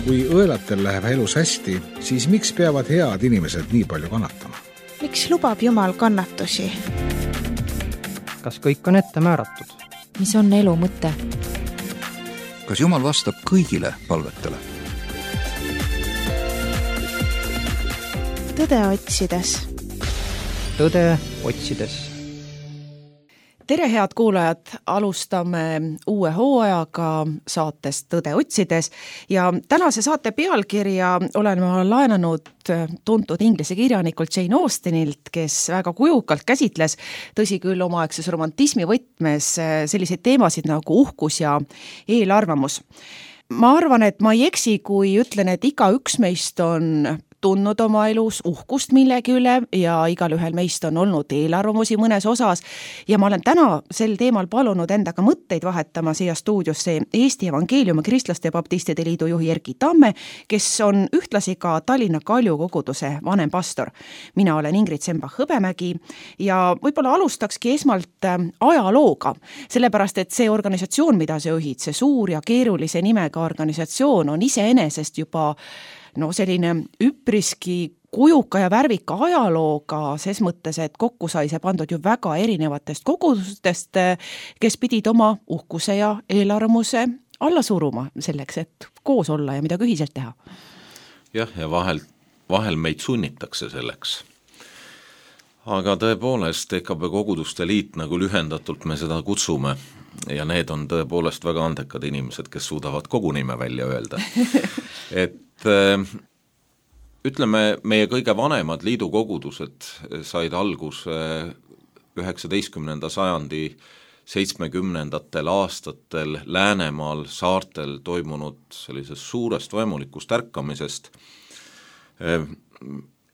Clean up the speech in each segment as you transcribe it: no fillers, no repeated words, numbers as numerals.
Kui õelatel läheb elus hästi, siis miks peavad head inimesed nii palju kannatama? Miks lubab Jumal kannatusi? Kas kõik on ette määratud? Mis on elu mõte? Kas Jumal vastab kõigile palvetele? Tõde otsides. Tõde otsides. Tere, head kuulajad, alustame uue hooajaga saatest Tõde otsides ja tänase saate pealkirja olen ma laenanud tuntud inglise kirjanikult Jane Austenilt, kes väga kujukalt käsitles, tõsi küll omaaegses romantismi võtmes, selliseid teemasid nagu uhkus ja eelarvamus. Ma arvan, et ma ei eksi, kui ütlen, et igaüks meist on tundnud oma elus uhkust millegi üle ja igal ühel meist on olnud eelarvamusi mõnes osas ja ma olen täna sel teemal palunud endaga mõtteid vahetama siia stuudiosse Eesti Evangeeliumi Kristlaste Baptistide Liidu juhi Erki Tamme, kes on ühtlasi ka Tallinna Kalju koguduse vanem pastor. Mina olen Ingrid Sembach-Hõbemägi ja võib-olla alustakski esmalt ajalooga, sellepärast et see organisatsioon, mida sa juhid, see suur ja keerulise nimega organisatsioon on iseenesest juba selline üpriski kujuka ja värvika ajalooga, ses mõttes, et kokku sai see pandud ju väga erinevatest kogudustest, kes pidid oma uhkuse ja eelarvamuse alla suruma selleks, et koos olla ja midagi ühiselt teha. Jah, ja vahel meid sunnitakse selleks. Aga tõepoolest EKB koguduste liit, nagu lühendatult me seda kutsume, ja need on tõepoolest väga andekad inimesed, kes suudavad kogu nime välja öelda. Et ütleme, meie kõige vanemad liidukogudused said alguse 19. sajandi 70. aastatel Läänemaal saartel toimunud sellisest suurest vaimulikust ärkamisest.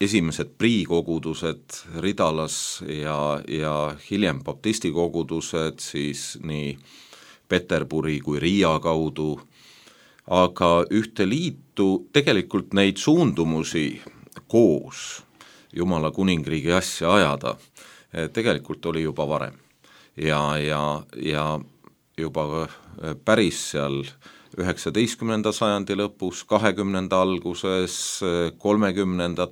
Esimesed priikogudused Ridalas ja hiljem baptistikogudused siis nii Peterburi kui Riia kaudu, aga ühte liitu tegelikult neid suundumusi koos Jumala kuningriigi asja ajada tegelikult oli juba varem ja juba päris seal 19. sajandi lõpus, 20. alguses, 30.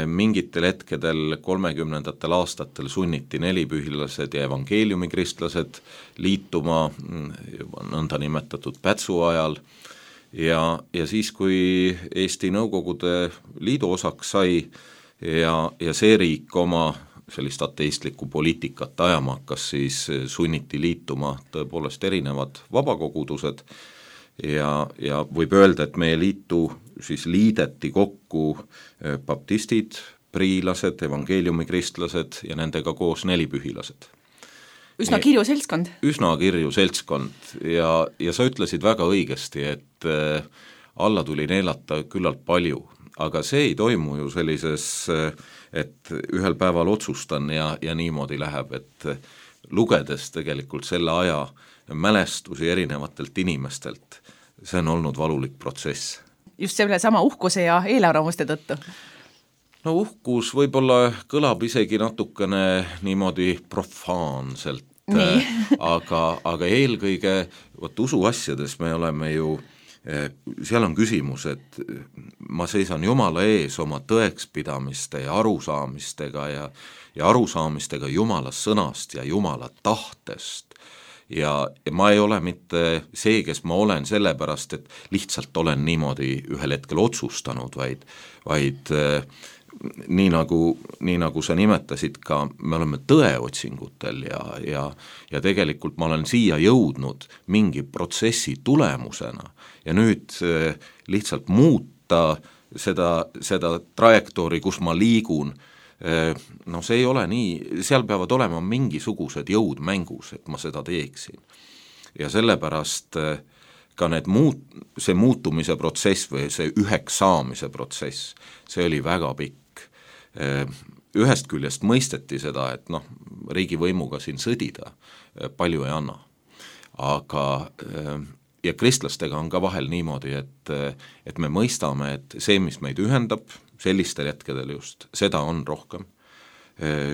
mingitel hetkedel 30. aastatel sunniti nelipühilased ja evangeeliumikristlased liituma juba nõnda nimetatud Pätsu ajal ja siis, kui Eesti Nõukogude Liidu osaks sai ja see riik oma sellist ateistlikku poliitikat ajama hakkas, siis sunniti liituma tõepoolest erinevad vabakogudused ja võib öelda, et meie liitu siis liideti kokku baptistid, priilased, evangeeliumikristlased ja nendega koos nelipühilased. Üsna kirju seltskond. Üsna kirju seltskond ja sa ütlesid väga õigesti, et alla tuli neelata küllalt palju, aga see ei toimu ju sellises, et ühel päeval otsustan ja niimoodi läheb, et lugedes tegelikult selle aja mälestusi erinevatelt inimestelt, see on olnud valulik protsess. Just selle sama uhkuse ja eelarvamuste tõttu? No uhkus võib-olla kõlab isegi natukene niimoodi profaanselt, aga eelkõige usuasjades me oleme ju, seal on küsimus, et ma seisan Jumala ees oma tõekspidamiste ja arusaamistega ja arusaamistega Jumala sõnast ja Jumala tahtest. Ja ma ei ole mitte see, kes ma olen sellepärast, et lihtsalt olen niimoodi ühel hetkel otsustanud, vaid nii nagu sa nimetasid ka, me oleme tõeotsingutel ja tegelikult ma olen siia jõudnud mingi protsessi tulemusena ja nüüd lihtsalt muuta seda trajektoori, kus ma liigun, see ei ole nii, seal peavad olema mingisugused jõud mängus, et ma seda teeksin. Ja sellepärast ka see muutumise protsess või see üheks saamise protsess, see oli väga pikk. Ühest küljest mõisteti seda, et riigivõimuga siin sõdida palju ei anna. Aga ja kristlastega on ka vahel niimoodi, et me mõistame, et see, mis meid ühendab, sellistel hetkedel just, seda on rohkem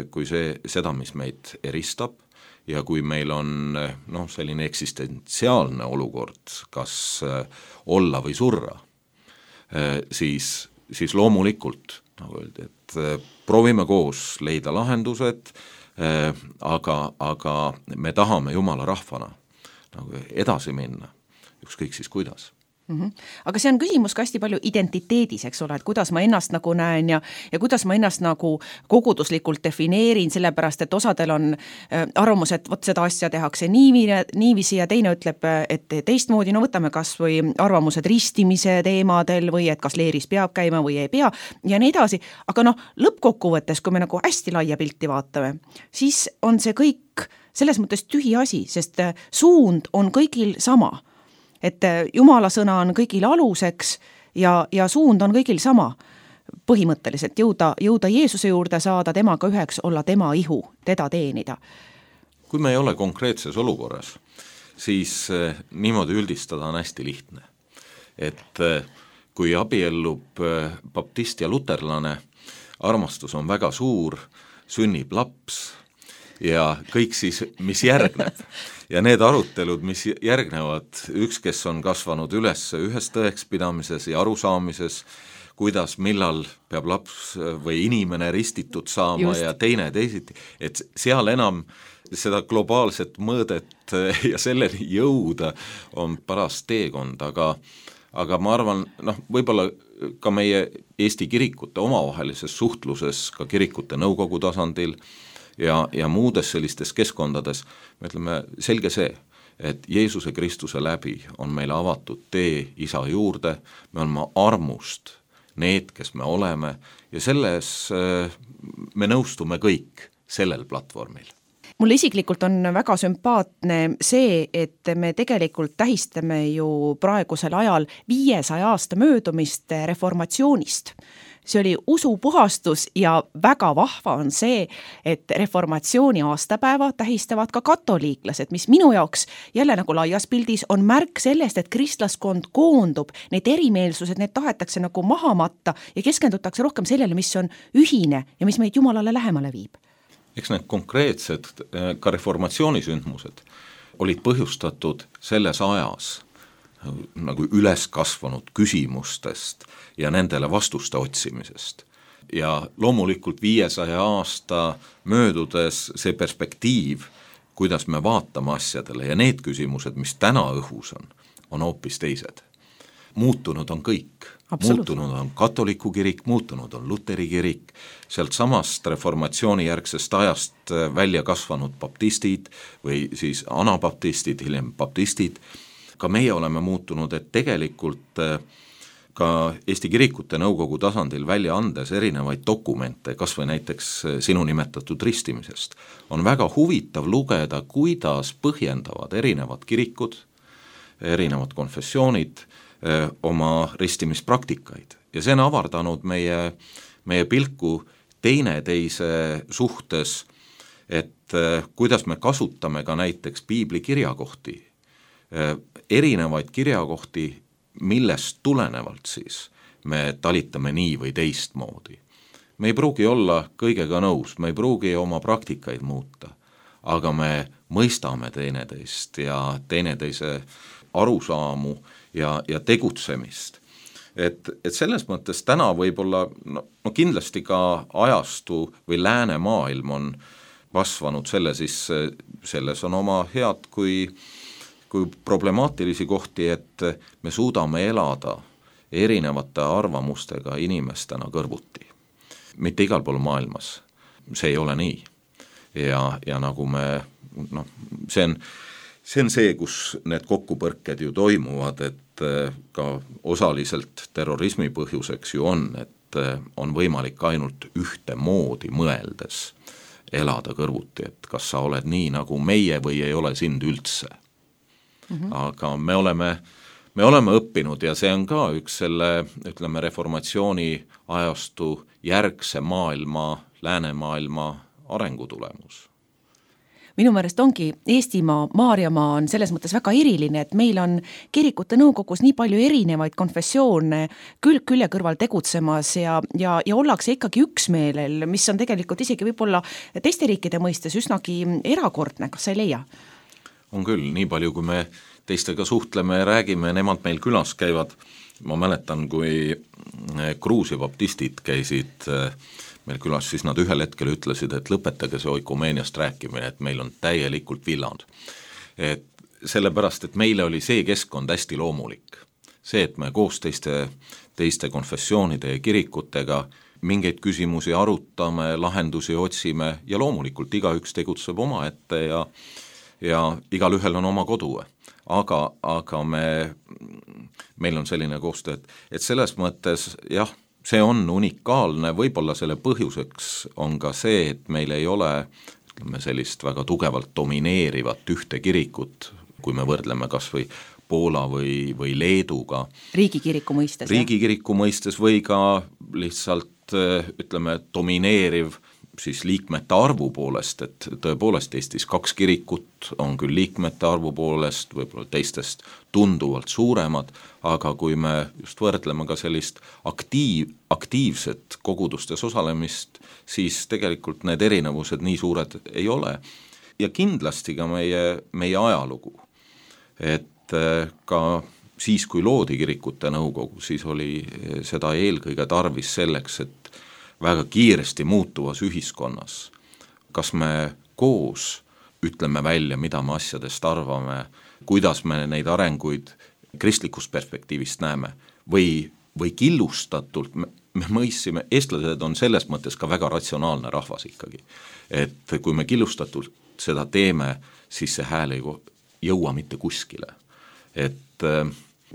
kui seda, mis meid eristab ja kui meil on selline eksistentsiaalne olukord, kas olla või surra, siis loomulikult, nagu öeldi, et proovime koos leida lahendused, aga me tahame Jumala rahvana nagu edasi minna, ükskõik siis kuidas. Aga see on küsimus ka hästi palju identiteedis, eks ole, et kuidas ma ennast nagu näen ja kuidas ma ennast nagu koguduslikult defineerin, sellepärast et osadel on arvamus, et vot seda asja tehakse niiviisi ja teine ütleb, et teistmoodi, võtame kas või arvamused ristimise teemadel või et kas leeris peab käima või ei pea ja nii edasi, aga lõppkokkuvõttes, kui me nagu hästi laia pilti vaatame, siis on see kõik selles mõttes tühi asi, sest suund on kõigil sama. Et Jumala sõna on kõigil aluseks ja suund on kõigil sama. Põhimõtteliselt jõuda Jeesuse juurde, saada temaga üheks, olla tema ihu, teda teenida. Kui me ei ole konkreetses olukorras, siis niimoodi üldistada on hästi lihtne. Et kui abiellub baptist ja luterlane, armastus on väga suur, sünnib laps ja kõik siis, mis järgneb. Ja need arutelud, mis järgnevad, üks, kes on kasvanud üles ühes tõekspidamises ja arusaamises, kuidas, millal peab laps või inimene ristitud saama ja teine teisiti, et seal enam seda globaalset mõõdet ja selleni jõuda on paras teekond, aga ma arvan, võib-olla ka meie Eesti kirikute omavahelises suhtluses, ka kirikute nõukogu tasandil, ja muudes sellistes keskkondades, me ütleme selge see, et Jeesuse Kristuse läbi on meile avatud tee Isa juurde, me oleme armust need, kes me oleme ja selles me nõustume kõik sellel platvormil. Mulle isiklikult on väga sümpaatne see, et me tegelikult tähistame ju praegusel ajal 500 aasta möödumist reformatsioonist. See oli usupuhastus ja väga vahva on see, et reformatsiooni aastapäeva tähistavad ka katoliiklased, mis minu jaoks jälle nagu laias pildis on märk sellest, et kristlaskond koondub, need erimeelsused, need tahetakse nagu maha matta ja keskendutakse rohkem sellele, mis on ühine ja mis meid Jumalale lähemale viib. Eks need konkreetsed ka reformatsioonisündmused olid põhjustatud selles ajas nagu üles kasvanud küsimustest ja nendele vastuste otsimisest. Ja loomulikult 500 aasta möödudes see perspektiiv, kuidas me vaatame asjadele ja need küsimused, mis täna õhus on hoopis teised. Muutunud on kõik. Muutunud on katoliku kirik, muutunud on luteri kirik, sealt samast reformatsiooni järgsest ajast välja kasvanud baptistid või siis anabaptistid, hiljem baptistid. Ka meie oleme muutunud, et tegelikult ka Eesti kirikute nõukogu tasandil välja andes erinevaid dokumente, kas või näiteks sinu nimetatud ristimisest, on väga huvitav lugeda, kuidas põhjendavad erinevad kirikud, erinevad konfessioonid oma ristimispraktikaid. Ja see on avardanud meie pilku teineteise suhtes, et kuidas me kasutame ka näiteks piibli kirjakohti, erinevaid kirjakohti, millest tulenevalt siis me talitame nii või teistmoodi. Me ei pruugi olla kõigega nõus, me ei pruugi oma praktikaid muuta, aga me mõistame teineteist ja teineteise arusaamu ja tegutsemist. Et selles mõttes täna võib-olla kindlasti ka ajastu või läänemaailm on kasvanud selles on oma head kui problemaatilisi kohti, et me suudame elada erinevate arvamustega inimestena kõrvuti. Mitte igal pool maailmas, see ei ole nii. Ja nagu me, see on see, kus need kokkupõrked ju toimuvad, et ka osaliselt terrorismi põhjuseks ju on, et on võimalik ainult ühte moodi mõeldes elada kõrvuti, et kas sa oled nii nagu meie või ei ole sind üldse. Aga me oleme õppinud ja see on ka üks selle, ütleme, reformatsiooni ajastu järgse maailma, läänemaailma arengutulemus. minu meelest ongi Eestimaa, Maarjamaa on selles mõttes väga eriline, et meil on kirikute nõukogus nii palju erinevaid konfessioone külg külje kõrval tegutsemas ja ollakse ikkagi üksmeelel, mis on tegelikult isegi võib-olla teiste riikide mõistes üsnagi erakordne, kas sa ei leia? On küll, nii palju kui me teistega suhtleme ja räägime, nemad meil külas käivad. Ma mäletan, kui Gruusia baptistid käisid meil külas, siis nad ühel hetkel ütlesid, et lõpetage see oikumeeniast rääkimine, et meil on täielikult villanud. Et sellepärast, et meile oli see keskkond hästi loomulik. See, et me koos teiste konfessioonide ja kirikutega mingeid küsimusi arutame, lahendusi otsime ja loomulikult igaüks tegutseb oma ette ja igal ühel on oma kodu. Aga meil on selline koostöö, et selles mõttes jah, see on unikaalne, võib-olla selle põhjuseks on ka see, et meil ei ole sellist väga tugevalt domineerivat ühte kirikut, kui me võrdleme kas või Poola või Leeduga. Riigikiriku mõistes. Riigikiriku mõistes või ka lihtsalt domineeriv siis liikmete arvu poolest, et tõepoolest Eestis 2 kirikut on küll liikmete arvu poolest, võib-olla teistest tunduvalt suuremad, aga kui me just võrdleme ka sellist aktiivset kogudustes osalemist, siis tegelikult need erinevused nii suured ei ole. Ja kindlasti ka meie ajalugu, et ka siis, kui loodi kirikute nõukogu, siis oli seda eelkõige tarvis selleks, et väga kiiresti muutuvas ühiskonnas, kas me koos ütleme välja, mida me asjadest arvame, kuidas me neid arenguid kristlikust perspektiivist näeme või killustatult, me mõistsime, eestlased on selles mõttes ka väga ratsionaalne rahvas ikkagi, et kui me killustatult seda teeme, siis see hääl ei jõua mitte kuskile, et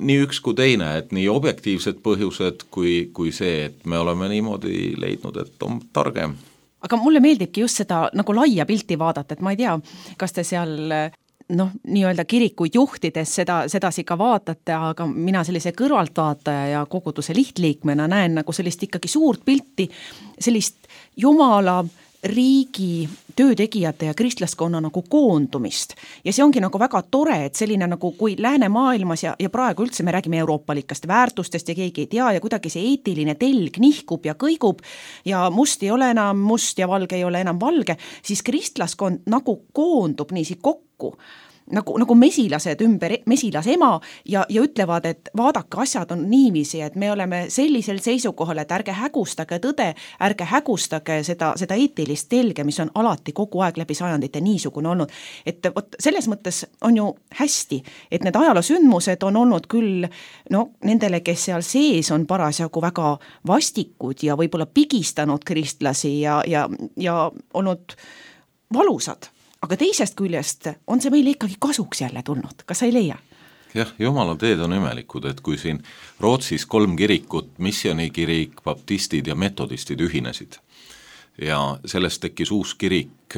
nii üks kui teine, et nii objektiivsed põhjused kui see, et me oleme niimoodi leidnud, et on targem. Aga mulle meeldibki just seda nagu laia pilti vaadata, et ma ei tea, kas te seal nii-öelda kirikuid juhtides sedasi ka vaatate, aga mina sellise kõrvaltvaataja ja koguduse lihtliikmena näen nagu sellist ikkagi suurt pilti, sellist Jumala riigi töötegijate ja kristlaskonna nagu koondumist. Ja see ongi nagu väga tore, et selline nagu kui läänemaailmas ja praegu üldse me räägime euroopalikast väärtustest ja keegi ei tea ja kuidagi see eetiline telg nihkub ja kõigub ja must ei ole enam must ja valge ei ole enam valge, siis kristlaskond nagu koondub niisi kokku. Nagu mesilased ümber mesilasema ja ütlevad, et vaadake, asjad on niiviisi, et me oleme sellisel seisukohal, et ärge hägustage tõde, ärge hägustage seda eetilist telge, mis on alati kogu aeg läbi sajandite niisugune olnud. Et selles mõttes on ju hästi, et need ajaloosündmused on olnud küll nendele, kes seal sees on parasjagu väga vastikud ja võib-olla pigistanud kristlasi ja olnud valusad. Aga teisest küljest on see meile ikkagi kasuks jälle tulnud, kas sa ei leia? Jah, Jumala teed on imelikud, et kui siin Rootsis 3 kirikut, missioonikirik, baptistid ja metodistid ühinesid ja sellest tekkis uus kirik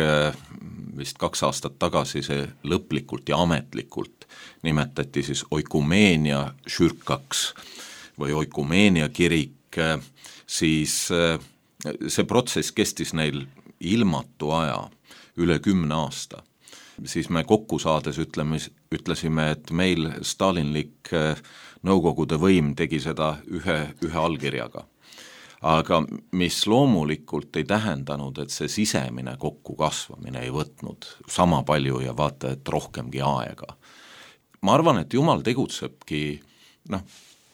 vist 2 aastat tagasi, see lõplikult ja ametlikult nimetati siis oikumeenia šürkaks või oikumeenia kirik, siis see protsess kestis neil ilmatu aja, üle 10 aasta, siis me kokku saades ütlesime, et meil stalinlik nõukogude võim tegi seda ühe allkirjaga. Aga mis loomulikult ei tähendanud, et see sisemine kokku kasvamine ei võtnud sama palju ja vaata, et rohkemgi aega. Ma arvan, et Jumal tegutsebki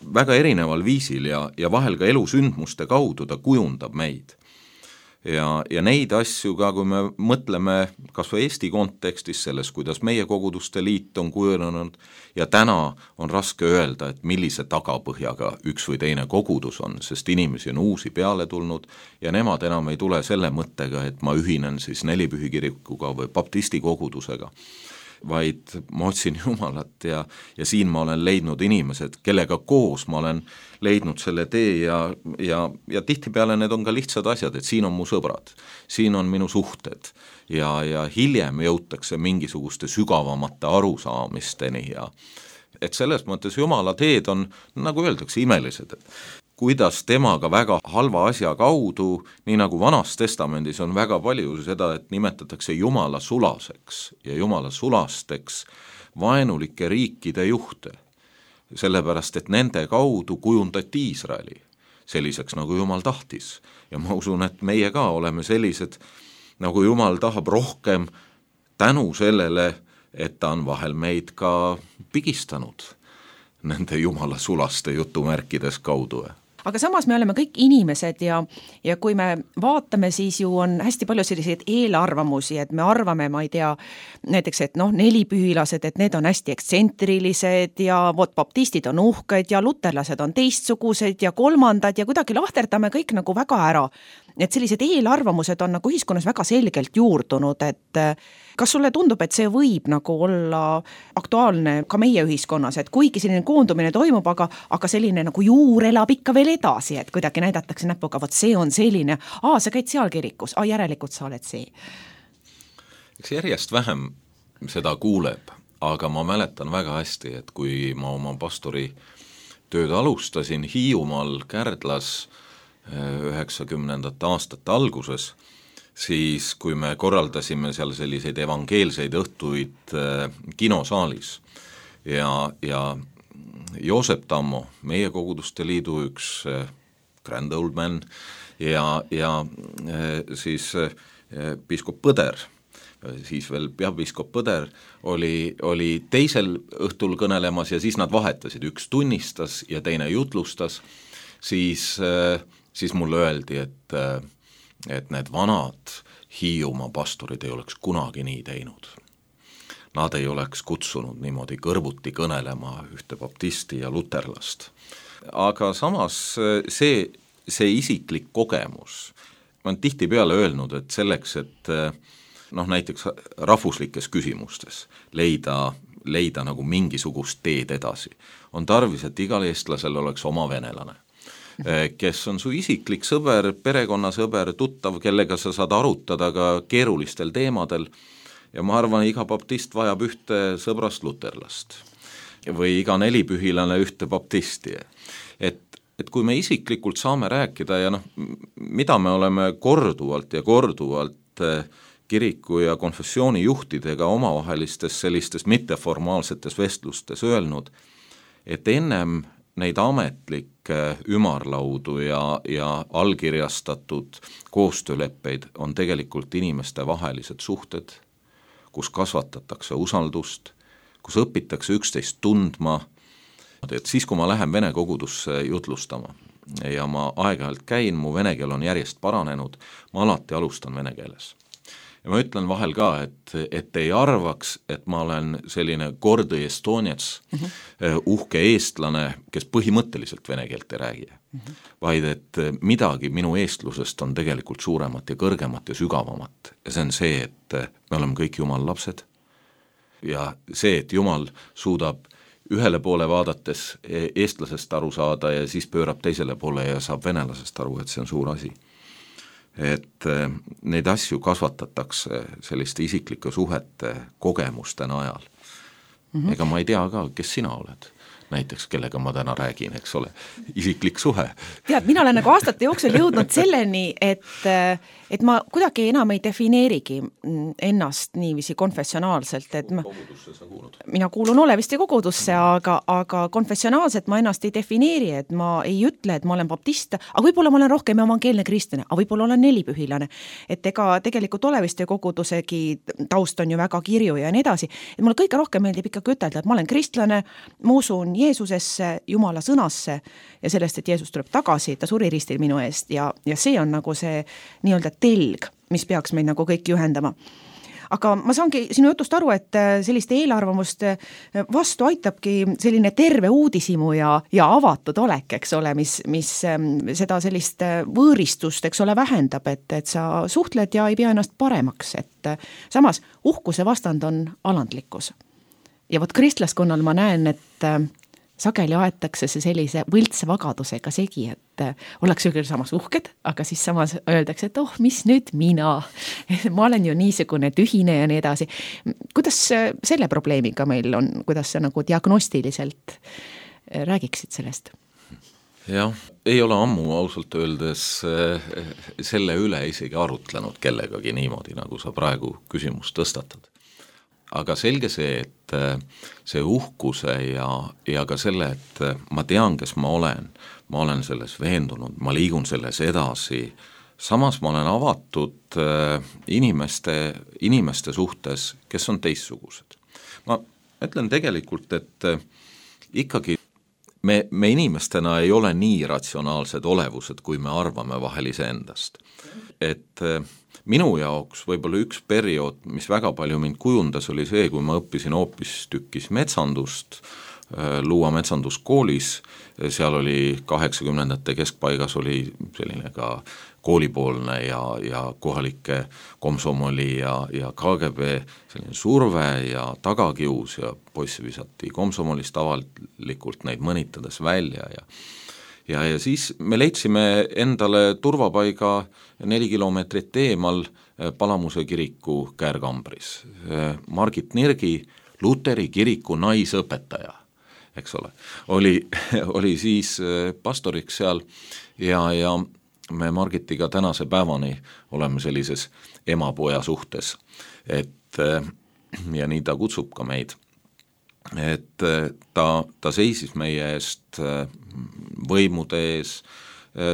väga erineval viisil ja vahel ka elusündmuste kaudu ta kujundab meid. Ja neid asju ka, kui me mõtleme kas või Eesti kontekstis selles, kuidas meie koguduste liit on kujunenud ja täna on raske öelda, et millise tagapõhjaga üks või teine kogudus on, sest inimesi on uusi peale tulnud ja nemad enam ei tule selle mõttega, et ma ühinen siis Nelipühikirikuga või baptisti kogudusega, vaid ma otsin Jumalat ja siin ma olen leidnud inimesed, kellega koos ma olen leidnud selle tee ja tihtipeale need on ka lihtsad asjad, et siin on mu sõbrad, siin on minu suhted ja hiljem jõutakse mingisuguste sügavamate arusaamisteni ja et selles mõttes Jumala teed on, nagu öeldakse, imelised. kuidas temaga väga halva asja kaudu, nii nagu Vanas Testamendis on väga palju seda, et nimetatakse Jumala sulaseks ja Jumala sulasteks vaenulike riikide juhte, sellepärast et nende kaudu kujundati Iisraeli selliseks, nagu Jumal tahtis. Ja ma usun, et meie ka oleme sellised, nagu Jumal tahab rohkem tänu sellele, et ta on vahel meid ka pigistanud nende Jumala sulaste jutumärkides kaudu. Aga samas me oleme kõik inimesed ja kui me vaatame, siis ju on hästi palju selliseid eelarvamusi, et me arvame, ma ei tea, näiteks, et nelipühilased, et need on hästi ekstsentrilised ja baptistid on uhked ja luterlased on teistsugused ja kolmandad ja kuidagi lahterdame kõik nagu väga ära. Et sellised eelarvamused on nagu ühiskonnas väga selgelt juurdunud, et kas sulle tundub, et see võib nagu olla aktuaalne ka meie ühiskonnas, et kuigi selline koondumine toimub, aga selline nagu juur elab ikka veel edasi, et kuidagi näidatakse näpuga, vot see on selline, sa käid seal kirikus, järelikult sa oled see. Eks järjest vähem seda kuuleb, aga ma mäletan väga hästi, et kui ma oma pastori tööd alustasin Hiiumaal Kärdlas 90. aastate alguses, siis kui me korraldasime seal selliseid evangeelseid õhtuid kinosaalis ja Joosep Tammo, meie koguduste liidu üks grand old man ja siis piiskop Põder, siis veel peapiiskop Põder oli teisel õhtul kõnelemas ja siis nad vahetasid, üks tunnistas ja teine jutlustas, siis mulle öeldi, et need vanad Hiiumaa pastorid ei oleks kunagi nii teinud. Nad ei oleks kutsunud niimoodi kõrvuti kõnelema ühte baptisti ja luterlast. Aga samas see isiklik kogemus, ma olen tihtipeale öelnud, et selleks, et näiteks rahvuslikes küsimustes leida nagu mingisugust teed edasi, on tarvis, et igal eestlasel oleks oma venelane, kes on su isiklik sõber, perekonnasõber, tuttav, kellega sa saad arutada ka keerulistel teemadel ja ma arvan, iga baptist vajab ühte sõbrast luterlast või iga nelipühilane ühte baptisti. Et kui me isiklikult saame rääkida ja mida me oleme korduvalt kiriku ja konfessiooni juhtidega omavahelistes sellistes mitteformaalsetes vestlustes öelnud, et ennem neid ametlikke ümarlaudu ja allkirjastatud koostööleppeid on tegelikult inimeste vahelised suhted, kus kasvatatakse usaldust, kus õpitakse üksteist tundma, et siis, kui ma lähen vene kogudusse jutlustama ja ma aeg-ajalt käin, mu vene keel on järjest paranenud, ma alati alustan vene keeles. Ja ma ütlen vahel ka, et ei arvaks, et ma olen selline gordi estonets, uhke eestlane, kes põhimõtteliselt vene keelt ei räägi, vaid et midagi minu eestlusest on tegelikult suuremat ja kõrgemat ja sügavamat. Ja see on see, et me oleme kõik Jumala lapsed ja see, et Jumal suudab ühele poole vaadates eestlasest aru saada ja siis pöörab teisele poole ja saab venelasest aru, et see on suur asi. Et neid asju kasvatatakse selliste isiklike suhete kogemuste najal. Ega ma ei tea ka, kes sina oled. Näiteks, kellega ma täna räägin, eks ole, isiklik suhe. Tead, mina olen nagu aastate jooksul jõudnud selleni, et ma kuidagi enam ei defineerigi ennast niiviisi konfessionaalselt, et mina kuulun olevasti kogudusse, aga konfessionaalselt ma ennast ei defineeri, et ma ei ütle, et ma olen baptist, aga võib-olla ma olen rohkem evangeelne kristlane, aga võib-olla olen nelipühilane, et ega tegelikult olevasti kogudusegi taust on ju väga kirju ja nii edasi, et mulle kõige rohkem meeldib ikkagi ütelda, et ma olen kristlane, ma usun Jeesusesse, Jumala sõnasse ja sellest, et Jeesus tuleb tagasi, ta suri ristil minu eest ja see on nagu see nii-öelda telg, mis peaks meid nagu kõik juhendama. Aga ma saangi sinu jutust aru, et selliste eelarvamust vastu aitabki selline terve uudishimu ja avatud olek, eks ole, mis seda sellist võõristust, eks ole, vähendab, et sa suhtled ja ei pea ennast paremaks, et samas uhkuse vastand on alandlikkus. Ja vot kristlaskonnal ma näen, et sageli aetakse see sellise võltse vagadusega segi, et ollakse küll samas uhked, aga siis samas öeldakse, et mis nüüd mina? Ma olen ju niisugune tühine ja nii edasi. Kuidas selle probleemiga meil on, kuidas sa nagu diagnostiliselt räägiksid sellest? jah, ei ole ammu ausalt öeldes selle üle isegi arutlenud kellegagi niimoodi, nagu sa praegu küsimust tõstatad. Aga selge see, et see uhkuse ja ka selle, et ma tean, kes ma olen selles veendunud, ma liigun selles edasi, samas ma olen avatud inimeste suhtes, kes on teistsugused. Ma ütlen tegelikult, et ikkagi me inimestena ei ole nii ratsionaalsed olevused, kui me arvame vahel iseendast. Et minu jaoks võib-olla üks periood, mis väga palju mind kujundas, oli see, kui ma õppisin hoopis tükkis metsandust, Luua metsanduskoolis, seal oli 80ndate keskpaigas oli selline ka koolipoolne ja kohalike komsomoli ja KGB selline surve ja tagakius ja poisse visati komsomolist avalikult neid mõnitades välja ja siis me leidsime endale turvapaiga 4 kilomeetrit eemal Palamuse kiriku käärkambris. Margit Nirgi, Luteri kiriku naisõpetaja, eks ole, oli siis pastoriks seal ja me Margitiga tänase päevani oleme sellises ema-poja suhtes, et ja nii ta kutsub ka meid, et ta seisis meie eest võimude ees,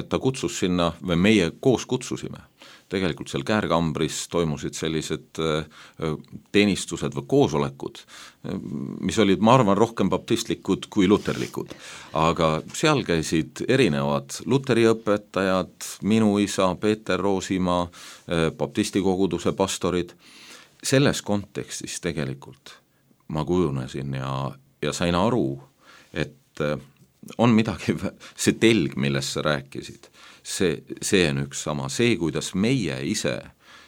ta kutsus sinna või meie koos kutsusime. Tegelikult seal käärkambris toimusid sellised teenistused või koosolekud, mis olid, ma arvan, rohkem baptistlikud kui luterlikud. Aga seal käisid erinevad luteri õpetajad, minu isa, Peeter Roosimaa, baptisti koguduse pastorid. Selles kontekstis tegelikult ma kujunesin ja sain aru, et on midagi, see telg, millest sa rääkisid, see on üks sama, see, kuidas meie ise,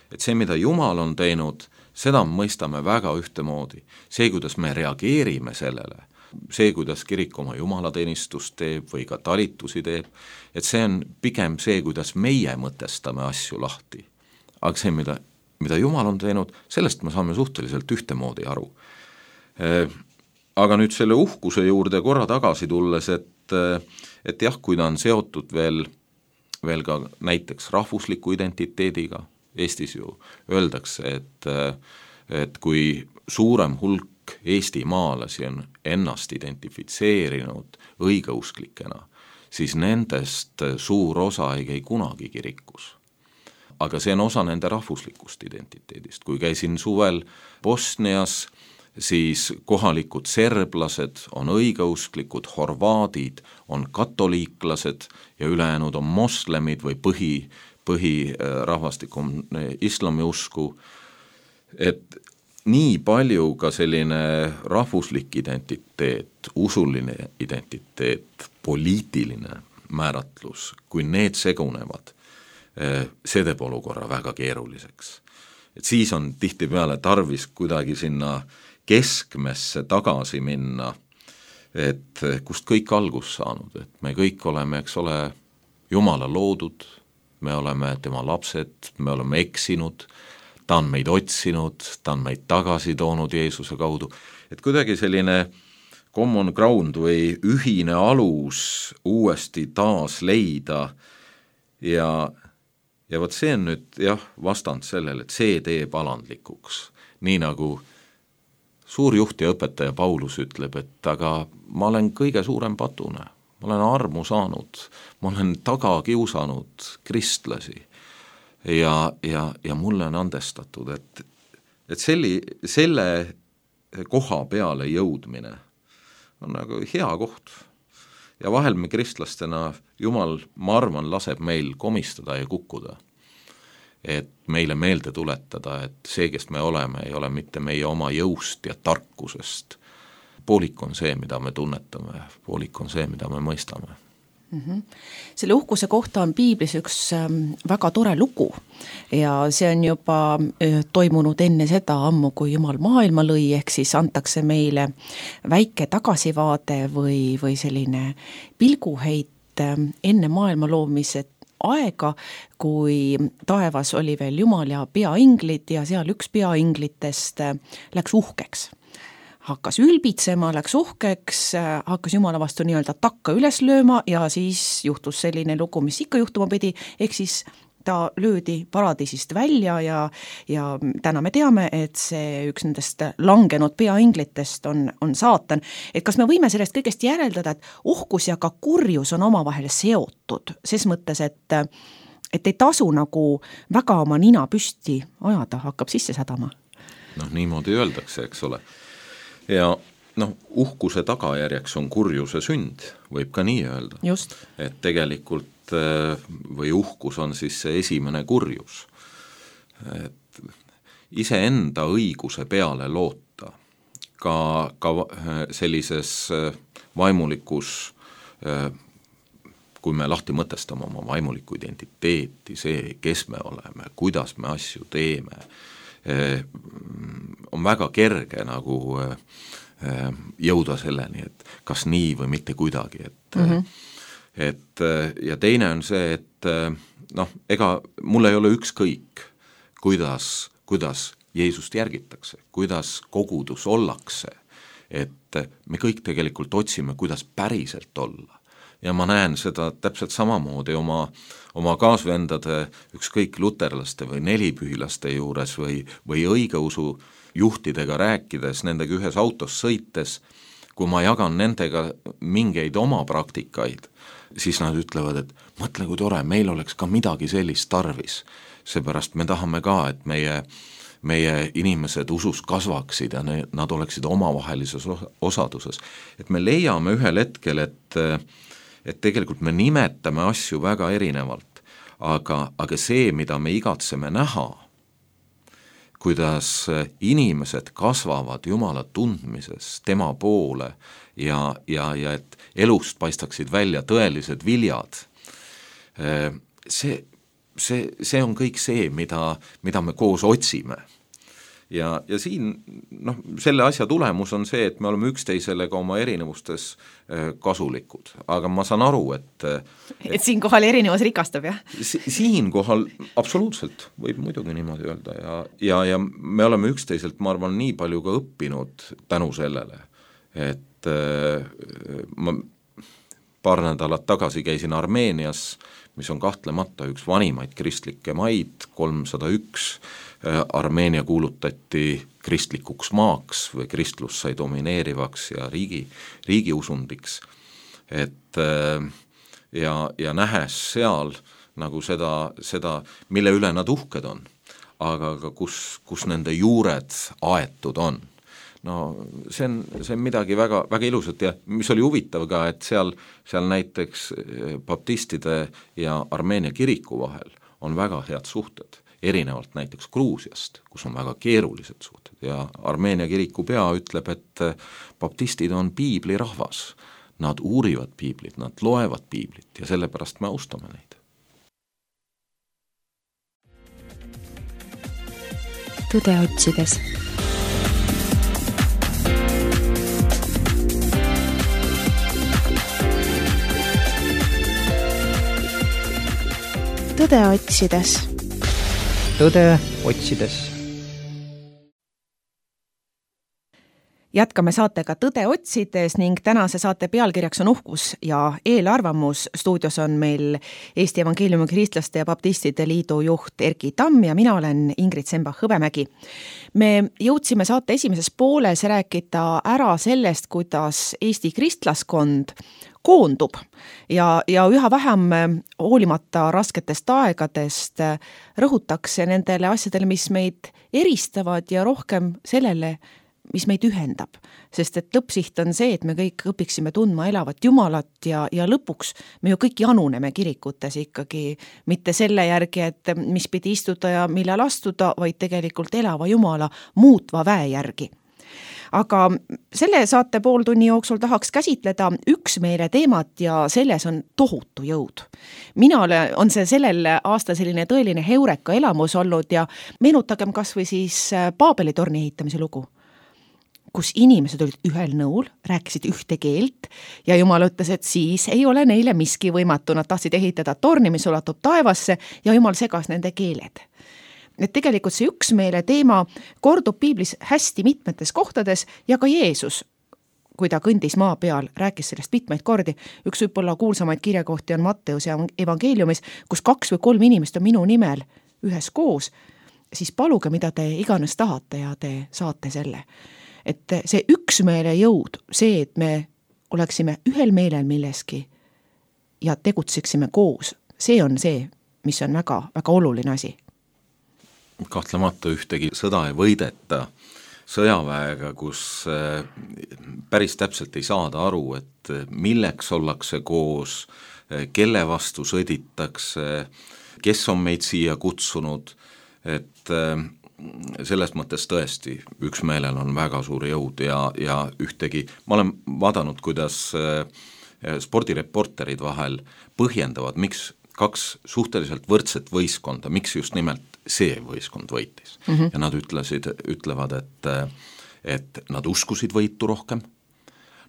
et see, mida Jumal on teinud, seda mõistame väga ühtemoodi. See, kuidas me reageerime sellele, see, kuidas kirik oma jumalateenistust teeb või ka talitusi teeb, et see on pigem see, kuidas meie mõtestame asju lahti. Aga see, mida Jumal on teinud, sellest me saame suhteliselt ühtemoodi aru. Aga nüüd selle uhkuse juurde korra tagasi tulles, et jah, kui ta on seotud veel ka näiteks rahvusliku identiteediga, Eestis ju öeldakse, et kui suurem hulk eestimaalasi on ennast identifitseerinud õigeusklikena, siis nendest suur osa ei käi kunagi kirikus. Aga see on osa nende rahvuslikust identiteedist. Kui käisin suvel Bosnias, siis kohalikud serblased on õigeusklikud, horvaadid on katoliiklased ja ülejäänud on moslemid või põhirahvastik on islamiusku. Et nii palju ka selline rahvuslik identiteet, usuline identiteet, poliitiline määratlus, kui need segunevad, see teeb olukorra väga keeruliseks. Et siis on tihtipeale tarvis kuidagi sinna keskmesse tagasi minna, et kust kõik algus saanud, et me kõik oleme, eks ole, Jumala loodud, me oleme tema lapsed, me oleme eksinud, ta on meid otsinud, ta on meid tagasi toonud Jeesuse kaudu, et kuidagi selline common ground või ühine alus uuesti taas leida ja võt see on nüüd jah, vastand sellele, et see teeb alandlikuks, nii nagu suur juht ja õpetaja Paulus ütleb, et aga ma olen kõige suurem patune, ma olen armu saanud, ma olen taga kiusanud kristlasi ja mulle on andestatud, et selle koha peale jõudmine on nagu hea koht. Ja vahel me kristlastena, Jumal, ma arvan, laseb meil komistada ja kukkuda. Et meile meelde tuletada, et see, kes me oleme, ei ole mitte meie oma jõust ja tarkusest. Poolik on see, mida me tunnetame, poolik on see, mida me mõistame. Selle uhkuse kohta on piiblis üks väga tore lugu ja see on juba toimunud enne seda ammu, kui Jumal maailma lõi, ehk siis antakse meile väike tagasivaade või selline pilguheit enne maailma loomise aega, kui taevas oli veel Jumal ja peainglid ja seal üks peainglitest läks uhkeks. hakkas ülbitsema, läks uhkeks, hakkas Jumala vastu nii-öelda takka üles lööma ja siis juhtus selline lugu, mis ikka juhtuma pidi, ehk siis ta löödi paradiisist välja ja täna me teame, et see üks nendest langenud peainglitest on saatan. Et kas me võime sellest kõigest järeldada, et uhkus ja ka kurjus on omavahel seotud, ses mõttes, et ei tasu nagu väga oma nina püsti ajada, hakkab sisse sädama? Niimoodi öeldakse, eks ole. Ja uhkuse tagajärjeks on kurjuse sünd, võib ka nii öelda. Just. Et tegelikult või uhkus on siis see esimene kurjus. Et iseenda õiguse peale loota ka sellises vaimulikus, kui me lahti mõtestame oma vaimulikku identiteeti, see, kes me oleme, kuidas me asju teeme, on väga kerge nagu jõuda selleni, et kas nii või mitte kuidagi, et ja teine on see, et ega mul ei ole ükskõik, kuidas Jeesust järgitakse, kuidas kogudus ollakse, et me kõik tegelikult otsime, kuidas päriselt olla. Ja ma näen seda täpselt samamoodi oma kaasvendade, ükskõik luterlaste või nelipühilaste juures või õigeusu juhtidega rääkides, nendega ühes autos sõites, kui ma jagan nendega mingeid oma praktikaid, siis nad ütlevad, et mõtle, kui tore, meil oleks ka midagi sellist tarvis. Seepärast me tahame ka, et meie inimesed usus kasvaksid ja nad oleksid omavahelises osaduses. Et me leiame ühel hetkel, et tegelikult me nimetame asju väga erinevalt, aga see, mida me igatseme näha, kuidas inimesed kasvavad Jumala tundmises tema poole ja et elust paistaksid välja tõelised viljad, see on kõik see, mida me koos otsime. Ja siin selle asja tulemus on see, et me oleme üksteisele ka oma erinevustes kasulikud, aga ma saan aru, et siinkohal erinevus rikastab, jah? Siinkohal absoluutselt võib muidugi niimoodi öelda ja me oleme üksteiselt, ma arvan, nii palju ka õppinud tänu sellele, et ma paar nädalat tagasi käisin Armeenias, mis on kahtlemata üks vanimaid kristlikke maid, 301, Armeenia kuulutati kristlikuks maaks või kristlus sai domineerivaks ja riigiusundiks, et ja nähes seal nagu seda, mille üle nad uhked on, aga kus nende juured aetud on. See on midagi väga, väga ilusat ja mis oli huvitav ka, et seal näiteks baptistide ja Armeenia kiriku vahel on väga head suhted, erinevalt näiteks Gruusiast, kus on väga keerulised suhted ja Armeenia kiriku pea ütleb, et baptistid on piiblirahvas, nad uurivad piiblit, nad loevad piiblit ja sellepärast me austame neid. Tõde otsides. Tõde otsides. Tõde otsides. Jätkame saatega Tõde otsides ning tänase saate pealkirjaks on uhkus ja eelarvamus. Stuudios on meil Eesti Evangeeliumi Kristlaste ja Baptistide Liidu juht Erki Tamm ja mina olen Ingrid Sembach-Hõbemägi. Me jõudsime saate esimeses pooles rääkida ära sellest, kuidas Eesti kristlaskond koondub ja üha vähem hoolimata rasketest aegadest rõhutakse nendele asjadele, mis meid eristavad ja rohkem sellele, mis meid ühendab. Sest et lõppsiht on see, et me kõik õpiksime tundma elavat Jumalat ja lõpuks me ju kõik januneme kirikutes ikkagi mitte selle järgi, et mis pidi istuda ja millal astuda, vaid tegelikult elava Jumala muutva väe järgi. Aga selle saate pooltunni jooksul tahaks käsitleda üksmeele teemat ja selles on tohutu jõud. Minale on see sellel aasta selline tõeline heureka elamus olnud ja meenutagem kas või siis Paabeli torni ehitamise lugu, kus inimesed olid ühel nõul, rääkisid ühte keelt ja Jumal ütles, et siis ei ole neile miski võimatu. Nad tahtsid ehitada torni, mis ulatub taevasse ja Jumal segas nende keeled. et tegelikult see üksmeele teema kordub piiblis hästi mitmetes kohtades ja ka Jeesus, kui ta kõndis maa peal, rääkis sellest mitmeid kordi. Üks võib-olla kuulsamaid kirjakohti on Matteuse evangeeliumis, kus 2 või 3 inimest on minu nimel ühes koos, siis paluge, mida te iganes tahate ja te saate selle. Et see üksmeele jõud, see, et me oleksime ühel meelel milleski ja tegutseksime koos, see on see, mis on väga, väga oluline asi. Kahtlemata ühtegi sõda ei võideta sõjaväega, kus päris täpselt ei saada aru, et milleks ollakse koos, kelle vastu sõditakse, kes on meid siia kutsunud, et selles mõttes tõesti üksmeelel on väga suur jõud ja ühtegi, ma olen vaadanud, kuidas spordireporterid vahel põhjendavad, miks 2 suhteliselt võrdset võistkonda, miks just nimelt see võistkond võitis. Ja nad ütlevad, et nad uskusid võitu rohkem,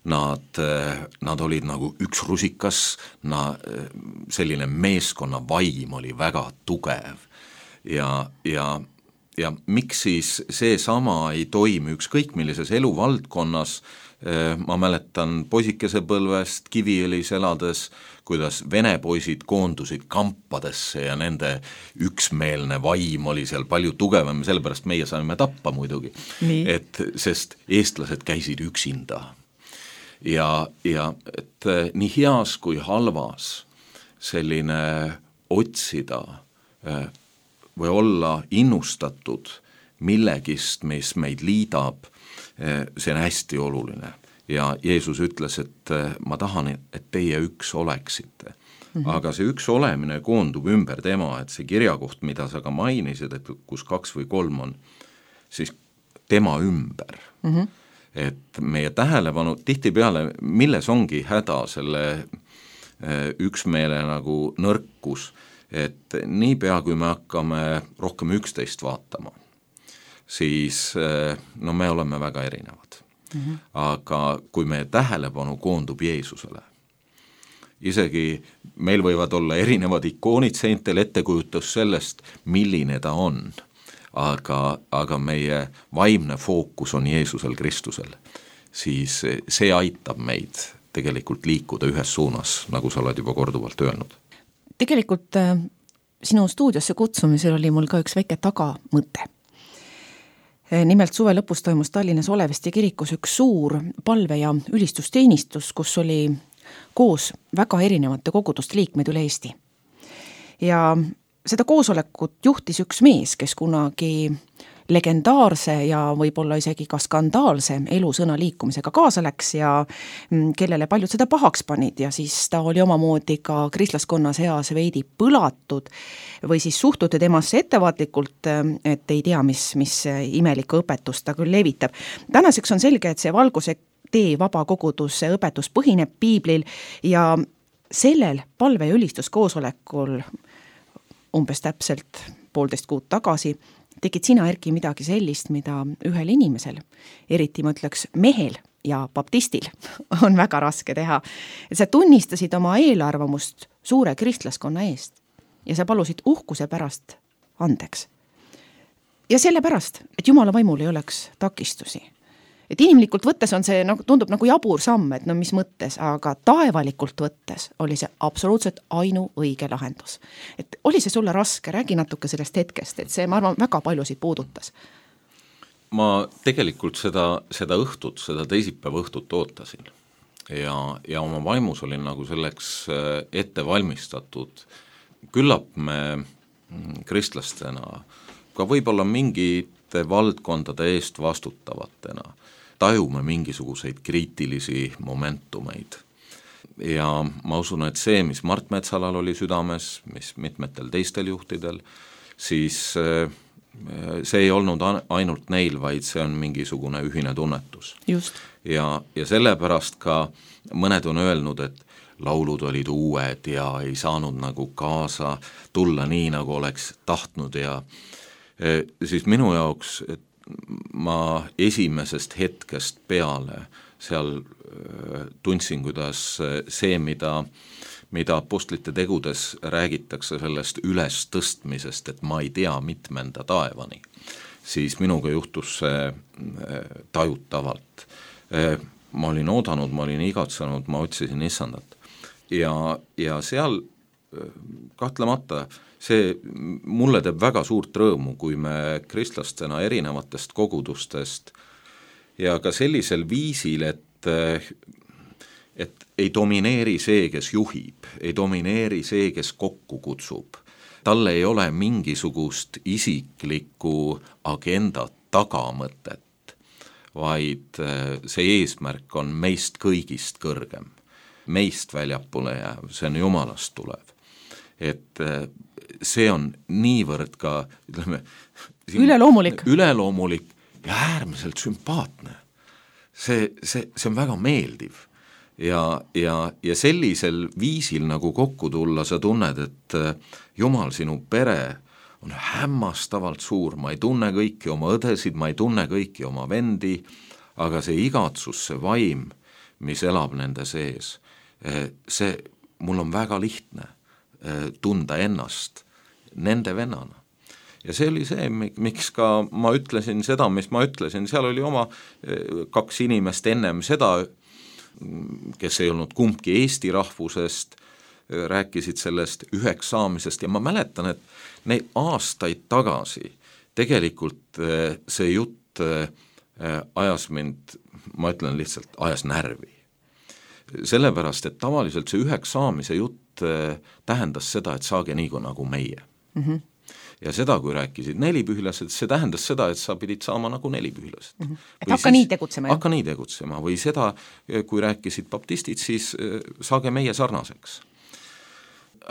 nad olid nagu üks rusikas, selline meeskonna vaim oli väga tugev ja miks siis see sama ei toimi ükskõik millises eluvaldkonnas. Ma mäletan poisikese põlvest Kiviõlis elades, kuidas vene poisid koondusid kampadesse ja nende üksmeelne vaim oli seal palju tugevam, sellepärast meie saime tappa muidugi, sest eestlased käisid üksinda. Ja et nii heas kui halvas selline otsida või olla innustatud millegist, mis meid liidab, see on hästi oluline ja Jeesus ütles, et ma tahan, et teie üks oleksite. Aga see üks olemine koondub ümber tema, et see kirjakoht, mida sa ka mainisid, et kus 2 või 3 on, siis tema ümber. Et meie tähelepanu tihtipeale, milles ongi häda selle üksmeele nagu nõrkus, et niipea kui me hakkame rohkem üksteist vaatama, siis me oleme väga erinevad. Aga kui meie tähelepanu koondub Jeesusele, isegi meil võivad olla erinevad ikoonid seintel, ettekujutus sellest, milline ta on, aga meie vaimne fookus on Jeesusel Kristusel, siis see aitab meid tegelikult liikuda ühes suunas, nagu sa oled juba korduvalt öelnud. Tegelikult sinu stuudiosse kutsumisel oli mul ka üks väike tagamõte. Nimelt suve lõpus toimus Tallinnas Olevesti kirikus üks suur palve- ja ülistusteenistus, kus oli koos väga erinevate koguduste liikmeid üle Eesti. Ja seda koosolekut juhtis üks mees, kes kunagi legendaarse ja võib-olla isegi ka skandaalse elusõna liikumisega kaasa läks ja kellele paljud seda pahaks panid ja siis ta oli omamoodi ka kristlaskonna seas veidi põlatud või siis suhtuti temasse ettevaatlikult, et ei tea, mis imelikku õpetust ta küll levitab. Tänaseks on selge, et see Valguse tee vabakoguduse õpetus põhineb piiblil ja sellel palve- ja ülistuskoosolekul umbes täpselt 1,5 kuud tagasi tegid sina, Erki, midagi sellist, mida ühel inimesel, eriti ma ütleks mehel ja baptistil, on väga raske teha. Sa tunnistasid oma eelarvamust suure kristlaskonna eest ja sa palusid uhkuse pärast andeks. Ja sellepärast, et Jumala vaimul ei oleks takistusi. Et inimlikult võttes on see, tundub nagu jabur samm, et mis mõttes, aga taevalikult võttes oli see absoluutselt ainuõige lahendus. Et oli see sulle raske, räägi natuke sellest hetkest, et see, ma arvan, väga paljusid puudutas. Ma tegelikult seda õhtut, seda teisipäeva õhtut ootasin ja oma vaimus olin nagu selleks ette valmistatud. Küllap me kristlastena, ka võib-olla mingite valdkondade eest vastutavatena, tajume mingisuguseid kriitilisi momentumeid. Ja ma usun, et see, mis Mart Metsalal oli südames, mis mitmetel teistel juhtidel, siis see ei olnud ainult neil, vaid see on mingisugune ühine tunnetus. Just. Ja sellepärast ka mõned on öelnud, et laulud olid uued ja ei saanud nagu kaasa tulla nii, nagu oleks tahtnud ja siis minu jaoks, et ma esimesest hetkest peale seal tundsin, kuidas see, mida mida apostlite tegudes räägitakse sellest ülestõstmisest, et ma ei tea mitmenda taevani, siis minuga juhtus see tajutavalt. Ma olin oodanud, ma olin igatsenud, ma otsisin issandat. Ja seal kahtlemata see mulle teeb väga suurt rõõmu, kui me kristlastena erinevatest kogudustest ja ka sellisel viisil, et ei domineeri see, kes juhib, ei domineeri see, kes kokku kutsub. Talle ei ole mingisugust isiklikku agendat tagamõtet, vaid see eesmärk on meist kõigist kõrgem, meist väljapoole jääv, see on Jumalast tulev. Et see on niivõrd ka, ütleme, üleloomulik ja äärmiselt sümpaatne. See on väga meeldiv. Ja sellisel viisil nagu kokku tulla, sa tunned, et Jumal, sinu pere on hämmastavalt suur, ma ei tunne kõiki oma õdesid, ma ei tunne kõiki oma vendi, aga see igatsus, see vaim, mis elab nende sees, see mul on väga lihtne tunda ennast nende vennana. Ja see oli see, miks ka ma ütlesin seda, mis ma ütlesin, seal oli oma 2 inimest ennem seda, kes ei olnud kumbki Eesti rahvusest, rääkisid sellest üheks saamisest ja ma mäletan, et neid aastaid tagasi tegelikult see jutt ajas mind, ma ütlen lihtsalt, ajas närvi. Sellepärast, et tavaliselt see üheks saamise jutt tähendas seda, et saage nii nagu meie. Mm-hmm. Ja seda, kui rääkisid 4 pühlased, see tähendas seda, et sa pidid saama nagu 4 pühlased. Mm-hmm. Et hakka nii tegutsema. Hakka nii tegutsema, või seda, kui rääkisid baptistid, siis saage meie sarnaseks.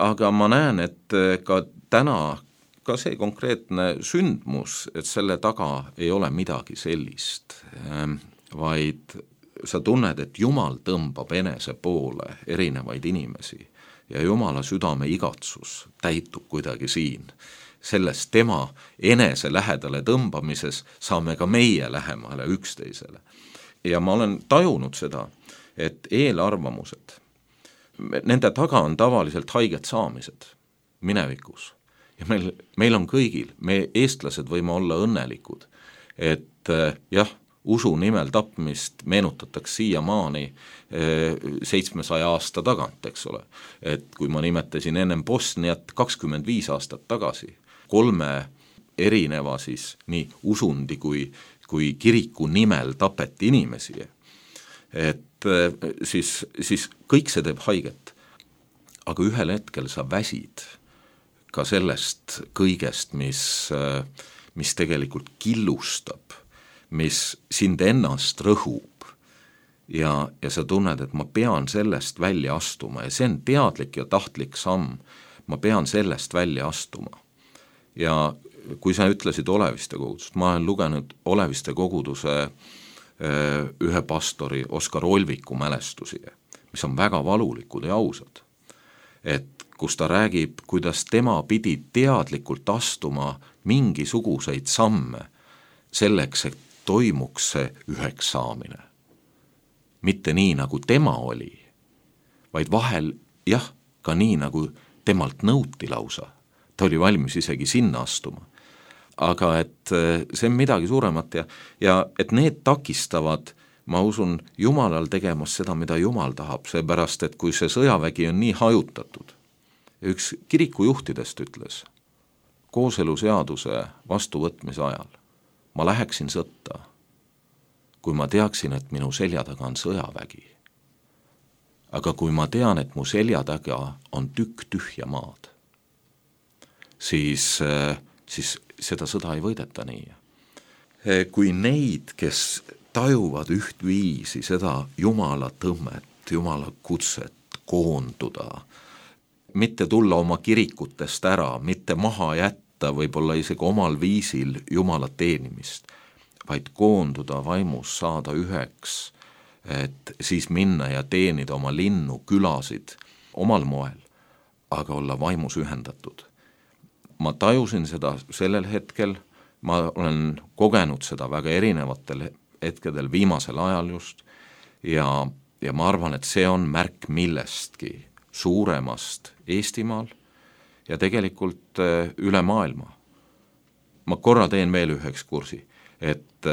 Aga ma näen, et ka täna, ka see konkreetne sündmus, et selle taga ei ole midagi sellist, vaid sa tunned, et Jumal tõmbab enese poole erinevaid inimesi ja Jumala südame igatsus täitub kuidagi siin. Sellest tema enese lähedale tõmbamises saame ka meie lähemale üksteisele. Ja ma olen tajunud seda, et eelarvamused, nende taga on tavaliselt haiget saamised minevikus. Ja meil on kõigil, me eestlased võime olla õnnelikud, et jah, usu nimel tapmist meenutatakse siiamaani 700 aasta tagant, eks ole. Et kui ma nimetasin ennem Bosniat 25 aastat tagasi, 3 erineva siis nii usundi kui kiriku nimel tapeti inimesi, et siis kõik see teeb haiget. Aga ühel hetkel sa väsid ka sellest kõigest, mis tegelikult killustab, mis sind ennast rõhub ja sa tunned, et ma pean sellest välja astuma ja see on teadlik ja tahtlik samm, ma pean sellest välja astuma. Ja kui sa ütlesid Oleviste kogudust, ma olen lugenud Oleviste koguduse ühe pastori Oskar Olviku mälestusi, mis on väga valulikud ja ausad, et kus ta räägib, kuidas tema pidi teadlikult astuma mingisuguseid samme selleks, et toimuks see üheks saamine. Mitte nii, nagu tema oli, vaid vahel jah, ka nii, nagu temalt nõuti lausa. Ta oli valmis isegi sinna astuma. Aga et see on midagi suuremat ja et need takistavad, ma usun, Jumalal tegemas seda, mida Jumal tahab, seepärast, et kui see sõjavägi on nii hajutatud, üks kirikujuhtidest ütles kooseluseaduse vastuvõtmise ajal, ma läheksin sõtta, kui ma teaksin, et minu selja taga on sõjavägi. Aga kui ma tean, et mu selja taga on tükk tühja maad, siis seda sõda ei võideta nii. Kui neid, kes tajuvad ühtviisi seda Jumala tõmmet, Jumala kutset koonduda, mitte tulla oma kirikutest ära, mitte maha jätta, võib-olla isegi omal viisil Jumala teenimist, vaid koonduda vaimus, saada üheks, et siis minna ja teenida oma linnu, külasid omal moel, aga olla vaimus ühendatud. Ma tajusin seda sellel hetkel, ma olen kogenud seda väga erinevatel hetkedel viimasel ajal just ja ma arvan, et see on märk millestki suuremast Eestimaal ja tegelikult üle maailma. Ma korra teen veel üheks kursi, et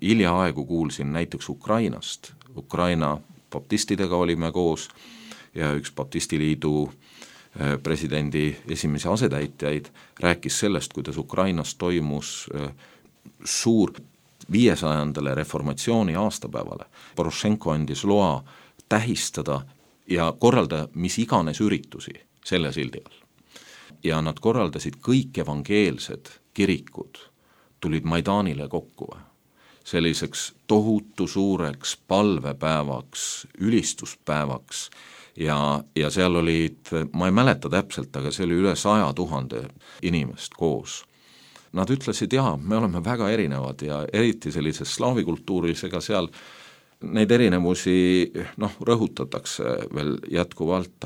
hiljaaegu kuulsin näiteks Ukrainast. Ukraina baptistidega olime koos ja üks baptistiliidu presidendi esimese asetäitjaid rääkis sellest, kuidas Ukrainas toimus suur 500. reformatsiooni aastapäevale. Porošenko andis loa tähistada ja korralda mis iganes üritusi selle sildi all. Ja nad korraldasid kõik evangeelsed kirikud, tulid Maidanile kokku selliseks tohutu suureks palvepäevaks, ülistuspäevaks ja seal olid, ma ei mäleta täpselt, aga see oli üle 100 000 inimest koos. Nad ütlesid, me oleme väga erinevad ja eriti sellises slaavikultuuris, ega seal neid erinevusi rõhutatakse veel jätkuvalt,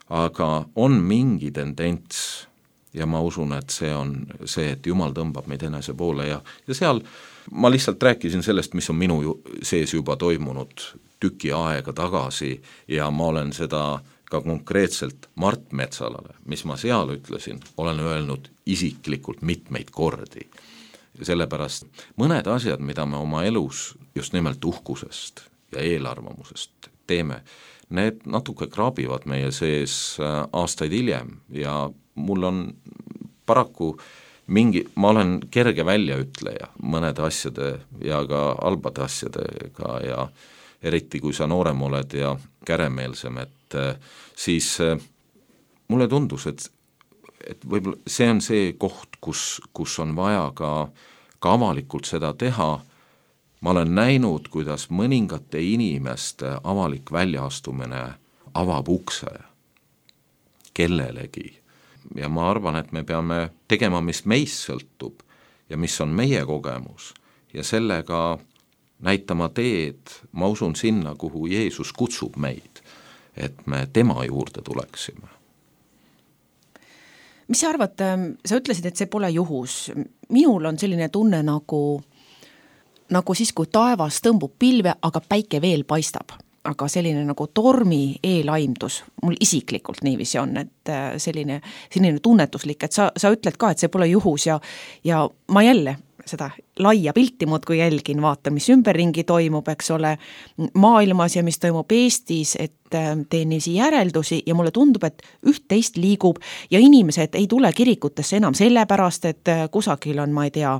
aga on mingi tendents ja ma usun, et see on see, et Jumal tõmbab meid enese poole ja seal ma lihtsalt rääkisin sellest, mis on minu sees juba toimunud tüki aega tagasi ja ma olen seda ka konkreetselt Mart Metsalale, mis ma seal ütlesin, olen öelnud isiklikult mitmeid kordi. Sellepärast mõned asjad, mida me oma elus just nimelt uhkusest ja eelarvamusest teeme, need natuke kraabivad meie sees aastaid hiljem ja mul on paraku ma olen kerge väljaütleja mõnede asjade ja ka halbade asjadega ja eriti kui sa noorem oled ja käremeelsem, et siis mulle tundus, et võib-olla see on see koht, kus on vaja ka avalikult seda teha. Ma olen näinud, kuidas mõningate inimeste avalik väljaastumine avab ukse kellelegi. Ja ma arvan, et me peame tegema, mis meist sõltub ja mis on meie kogemus ja sellega näitama teed, ma usun sinna, kuhu Jeesus kutsub meid, et me tema juurde tuleksime. Mis sa arvad, sa ütlesid, et see pole juhus. Minul on selline tunne nagu siis, kui taevas tõmbub pilve, aga päike veel paistab. Aga selline nagu tormi eelaimdus, mul isiklikult niiviisi on, et selline tunnetuslik, et sa ütled ka, et see pole juhus ja ma jälle seda laia pilti muudkui jälgin, vaatan, mis ümberringi toimub, eks ole, maailmas ja mis toimub Eestis, et teen niisi järeldusi ja mulle tundub, et üht-teist liigub ja inimesed ei tule kirikutesse enam sellepärast, et kusagil on, ma ei tea,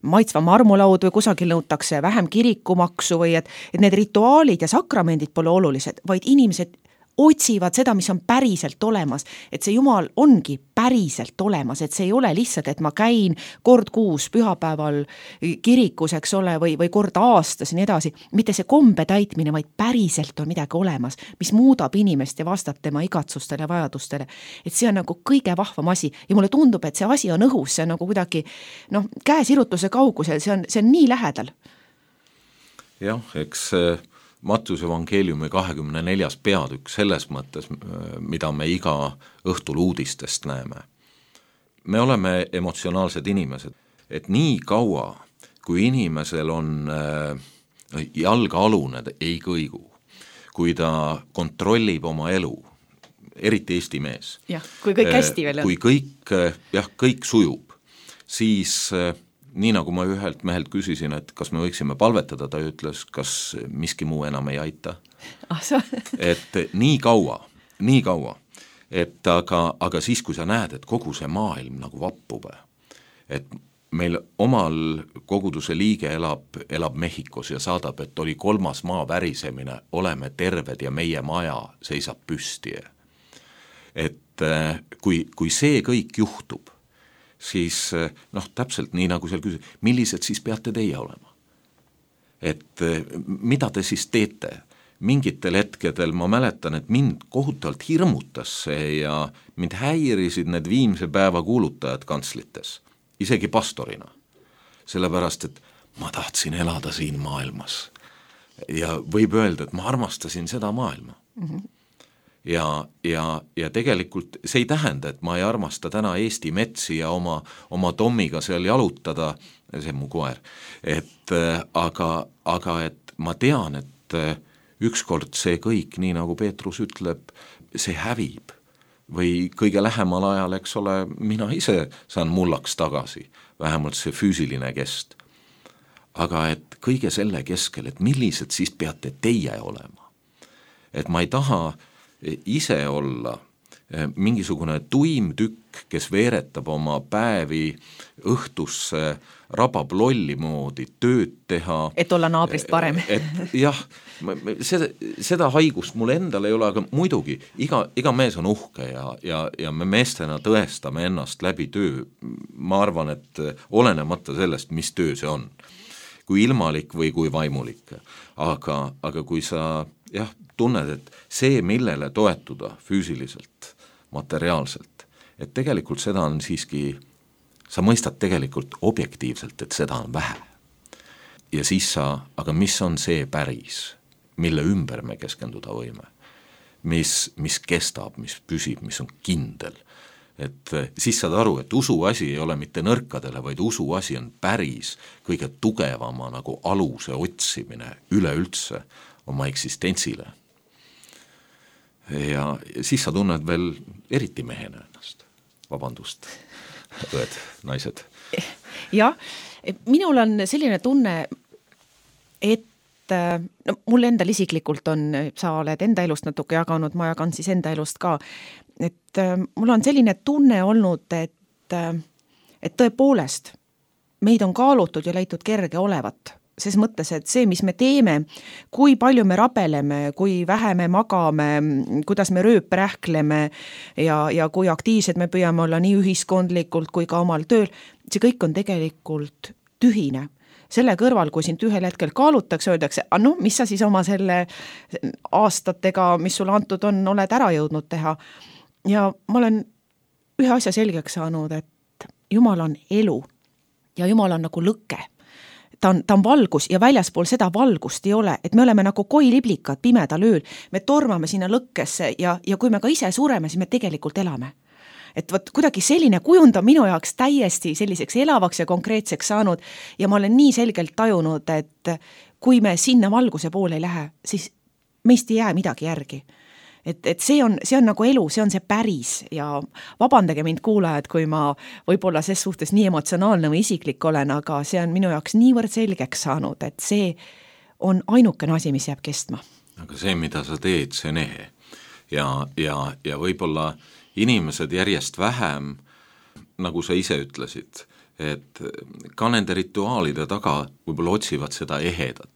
maitsva marmulaud või kusagil nõutakse vähem kirikumaksu või et need rituaalid ja sakramendid pole olulised, vaid inimesed otsivad seda, mis on päriselt olemas, et see Jumal ongi päriselt olemas, et see ei ole lihtsalt, et ma käin kord kuus pühapäeval kirikus, eks ole, või kord aastas ja nii edasi, mitte see kombe täitmine, vaid päriselt on midagi olemas, mis muudab inimest ja vastab tema igatsustele ja vajadustele. Et see on nagu kõige vahvam asi ja mulle tundub, et see asi on õhus, see on nagu kuidagi käesirutuse kaugusel, see on nii lähedal. Jah, eks Mattiuse evangeeliumi 24. peatükk selles mõttes, mida me iga õhtul uudistest näeme. Me oleme emotsionaalsed inimesed, et nii kaua, kui inimesel on jalgealune ei kõigu, kui ta kontrollib oma elu, eriti Eesti mees. Jah, kui kõik hästi veel on. Kui kõik sujub, siis nii nagu ma ühelt mehelt küsisin, et kas me võiksime palvetada, ta ütles, kas miski muu enam ei aita. Et nii kaua, et aga siis, kui sa näed, et kogu see maailm nagu vappub, et meil omal koguduse liige elab Mehhikos ja saadab, et oli 3. maa värisemine, oleme terved ja meie maja seisab püsti. Et kui see kõik juhtub, siis täpselt nii nagu seal küsis, millised siis peate teie olema? Et mida te siis teete? Mingitel hetkedel ma mäletan, et mind kohutavalt hirmutas see ja mind häirisid need viimse päeva kuulutajad kantslites, isegi pastorina. Sellepärast, et ma tahtsin elada siin maailmas ja võib öelda, et ma armastasin seda maailma. Ja tegelikult see ei tähenda, et ma ei armasta täna Eesti metsi ja oma Tommiga seal jalutada, see on mu koer, aga et ma tean, et ükskord see kõik, nii nagu Peetrus ütleb, see hävib. Või kõige lähemal ajal, eks ole, mina ise saan mullaks tagasi, vähemalt see füüsiline kest. Aga et kõige selle keskel, et millised siis peate teie olema. Et ma ei taha ise olla mingisugune tuim tükk, kes veeretab oma päevi õhtusse, rabab lolli moodi, tööd teha. Et olla naabrist parem. Jah, seda haigust mul endal ei ole, aga muidugi iga mees on uhke ja me meestena tõestame ennast läbi töö. Ma arvan, et olenemata sellest, mis töö see on, kui ilmalik või kui vaimulik. Aga kui sa tunned, et see, millele toetuda füüsiliselt, materiaalselt, et tegelikult seda on siiski, sa mõistad tegelikult objektiivselt, et seda on vähe. Ja siis aga mis on see päris, mille ümber me keskenduda võime, mis kestab, mis püsib, mis on kindel. Et siis saad aru, et usuasi ei ole mitte nõrkadele, vaid usuasi on päris kõige tugevama nagu aluse otsimine üleüldse oma eksistentsile. Ja siis sa tunned veel eriti mehena ennast. Vabandust, õed, naised. Jah, minul on selline tunne, et mul endal isiklikult on, sa oled enda elust natuke jaganud, ma jagan siis enda elust ka, et mul on selline tunne olnud, et tõepoolest meid on kaalutud ja leitud kerge olevat. Ses mõttes, et see, mis me teeme, kui palju me rabeleme, kui vähe me magame, kuidas me rööprähkleme ja kui aktiivsed me püüame olla nii ühiskondlikult kui ka omal tööl, see kõik on tegelikult tühine. Selle kõrval, kui sind ühel hetkel kaalutakse, öeldakse, mis sa siis oma selle aastatega, mis sulle antud on, oled ära jõudnud teha. Ja ma olen ühe asja selgeks saanud, et Jumal on elu ja Jumal on nagu lõke. Ta on valgus ja väljaspool seda valgust ei ole, et me oleme nagu koiliblikad pimedal ööl, me tormame sinna lõkkesse ja kui me ka ise sureme, siis me tegelikult elame. Et võt, kuidagi selline kujund on minu jaoks täiesti selliseks elavaks ja konkreetseks saanud ja ma olen nii selgelt tajunud, et kui me sinna valguse poole ei lähe, siis meist ei jää midagi järgi. Et see on nagu elu, see on see päris ja vabandage mind kuulajad, kui ma võib-olla ses suhtes nii emotsionaalne või isiklik olen, aga see on minu jaoks niivõrd selgeks saanud, et see on ainukene asi, mis jääb kestma. Aga see, mida sa teed, see on ehe. Ja võib-olla inimesed järjest vähem, nagu sa ise ütlesid, et ka nende rituaalide taga võib-olla otsivad seda ehedat.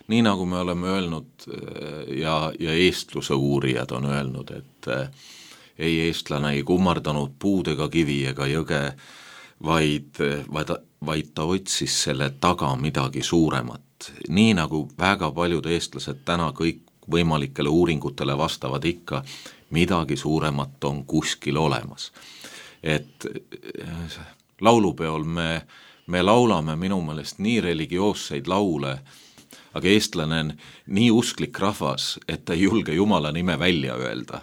Nii nagu me oleme öelnud ja eestluse uurijad on öelnud, et ei eestlane ei kummardanud puud ega kivi ega jõge, vaid ta otsis selle taga midagi suuremat. Nii nagu väga paljud eestlased täna kõik võimalikele uuringutele vastavad ikka, midagi suuremat on kuskil olemas. Et laulupeol me laulame minu meelest nii religioosseid laule, aga eestlane on nii usklik rahvas, et ta ei julge Jumala nime välja öelda.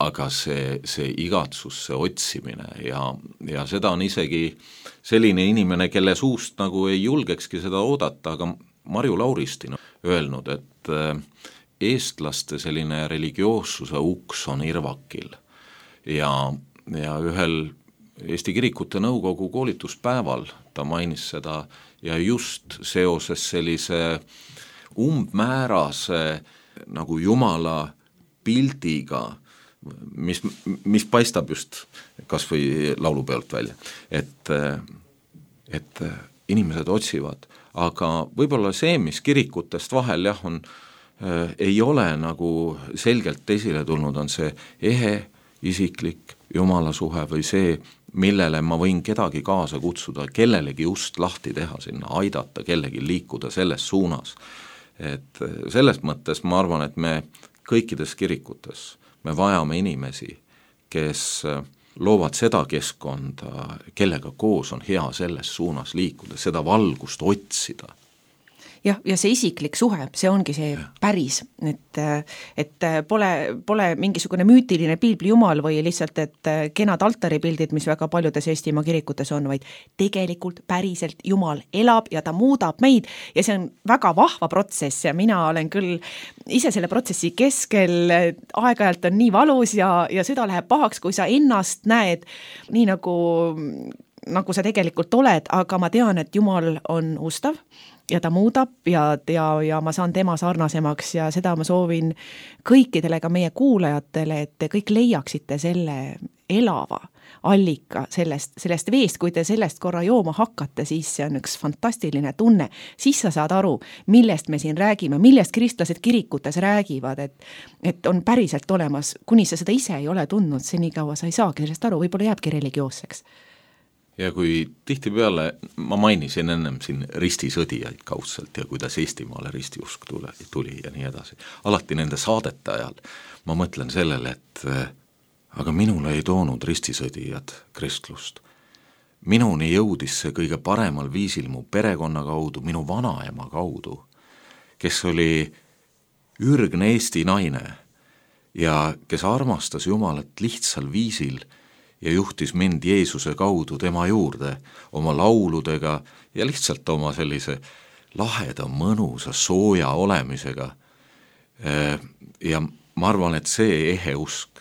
Aga see igatsus, see otsimine ja seda on isegi selline inimene, kelle suust nagu ei julgekski seda oodata, aga Marju Lauristin on öelnud, et eestlaste selline religioossuse uks on irvakil ja ühel Eesti Kirikute Nõukogu koolituspäeval ta mainis seda ja just seoses sellise umbmäärase nagu Jumala pildiga, mis paistab just kas või laulupeolt välja, et inimesed otsivad, aga võib-olla see, mis kirikutest vahel ei ole nagu selgelt esile tulnud, on see ehe, isiklik Jumala suhe või see, millele ma võin kedagi kaasa kutsuda, kellelegi just lahti teha sinna, aidata kellegi liikuda selles suunas. Et selles mõttes ma arvan, et me kõikides kirikutes me vajame inimesi, kes loovad seda keskkonda, kellega koos on hea selles suunas liikuda, seda valgust otsida. ja see isiklik suhe, see ongi see päris, et pole mingisugune müütiline piibli jumal või lihtsalt, et kenad altaripildid, mis väga paljudes Eestimaa kirikutes on, vaid tegelikult päriselt Jumal elab ja ta muudab meid ja see on väga vahva protsess ja mina olen küll ise selle protsessi keskel, aeg-ajalt on nii valus ja süda läheb pahaks, kui sa ennast näed nii nagu sa tegelikult oled, aga ma tean, et Jumal on ustav ja ta muudab ja ma saan tema sarnasemaks ja seda ma soovin kõikidele ka meie kuulajatele, et te kõik leiaksite selle elava allika sellest veest, kui te sellest korra jooma hakkate, siis see on üks fantastiline tunne, siis sa saad aru, millest me siin räägime, millest kristlased kirikutes räägivad, et on päriselt olemas, kuni sa seda ise ei ole tundnud, senikaua sa ei saagi sellest aru, võib-olla jääbki religioosseks. Ja kui tihtipeale, ma mainisin ennem siin ristisõdijaid kaudselt ja kuidas Eestimaale ristiusk tuli ja nii edasi. Alati nende saadete ajal ma mõtlen sellele, et aga minule ei toonud ristisõdijad kristlust. Minuni jõudis see kõige paremal viisil mu perekonna kaudu, minu vanaema kaudu, kes oli ürgne Eesti naine ja kes armastas Jumalat lihtsal viisil ja juhtis mind Jeesuse kaudu tema juurde oma lauludega ja lihtsalt oma sellise laheda, mõnusa, sooja olemisega. Ja ma arvan, et see ehe usk,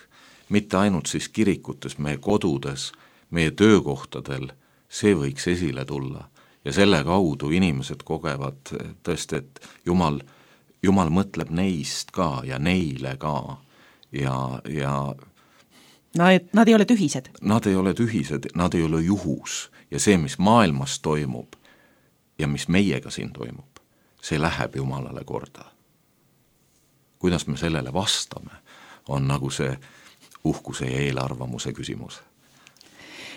mitte ainult siis kirikutes, meie kodudes, meie töökohtadel, see võiks esile tulla. Ja selle kaudu inimesed kogevad tõesti, et Jumal mõtleb neist ka ja neile ka ja Nad ei ole tühised. Nad ei ole tühised, nad ei ole juhus ja see, mis maailmas toimub ja mis meiega siin toimub, see läheb Jumalale korda. Kuidas me sellele vastame, on nagu see uhkuse ja eelarvamuse küsimus.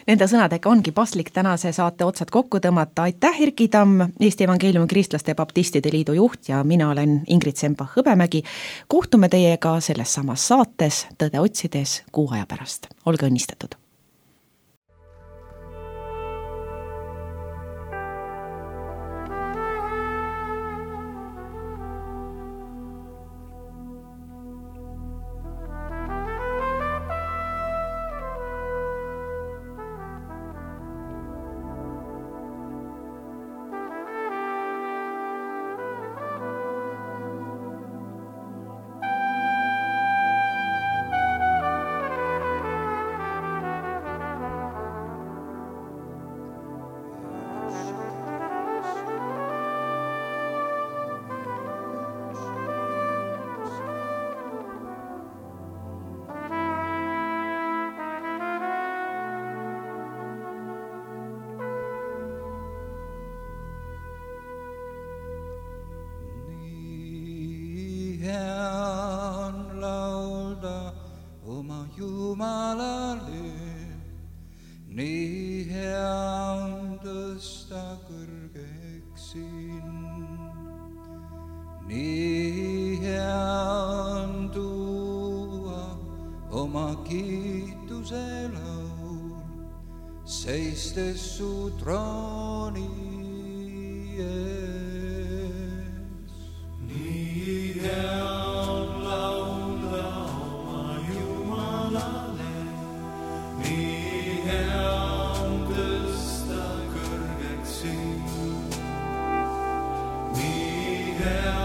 Nende sõnadega ongi paslik tänase saate otsad kokku tõmmata. Aitäh, Erki Tamm, Eesti Evangeeliumi Kristlaste Baptistide Liidu juht ja mina olen Ingrid Semba-Hõbemägi. Kohtume teiega selles samas saates Tõde otsides kuu aja pärast. Olge õnnistatud! Jumalale, nii hea on tõsta kõrgeks sind. Nii hea on tuua oma kiituse laul, seistes su trooni ees. Nii hea on laulda oma Jumalale, nii hea on tõsta kõrgeks sind. Nii hea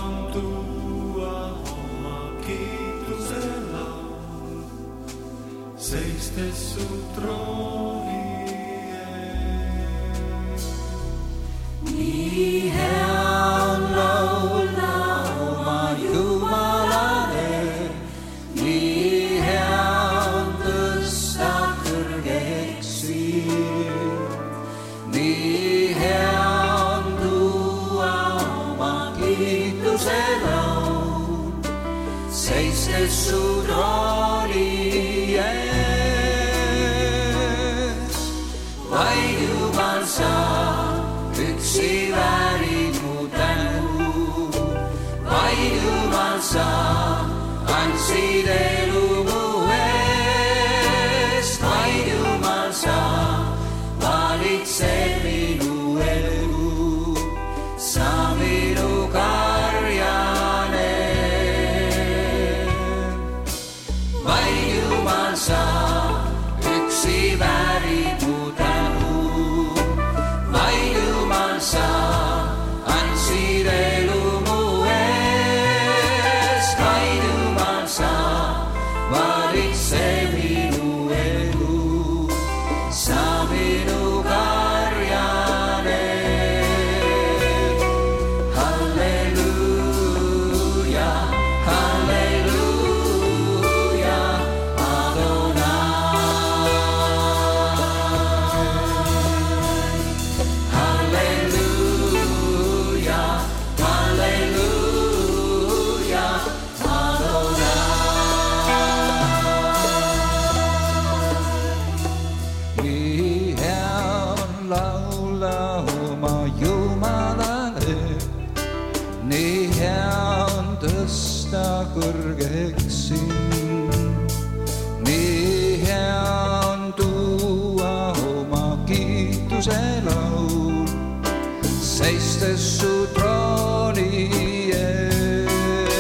on tuua oma kiituse laul, seistes su trooni ees. Nii hea on laulda oma Jumalale, nii hea on tõsta kõrgeks sind. Nii hea on tuua oma kiituse laul, seistes su trooni ees. Vaid Jumal sa üksi väärid mu tänu, vaid Jumal sa andsid elu mu eest, vaid Jumal sa valitsed minu elu, sa minu Jumal sa üksi väärid mu tänu. Vaid Jumal sa andsid elu mu eest. Vaid Jumal sa valitse minu elu. Sa minu karjane. Halleluuja, halleluuja, Adonai. Halleluuja, halleluuja, Adonai. Nii hea on laula oma Jumalale, nii hea on tõsta kõrgeks sind. Nii hea on tuua oma kiituse laul, seistes su trooni ees.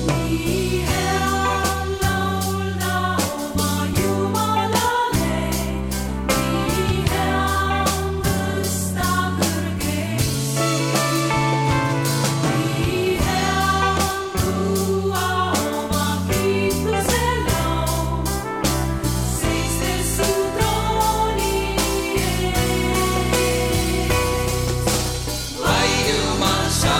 Nii hea on laulda oma Jumalale, nii hea on tõsta kõrgeks sind. Nii hea on tuua oma kiituse laul, seistes su trooni ees. Vaid Jumal sa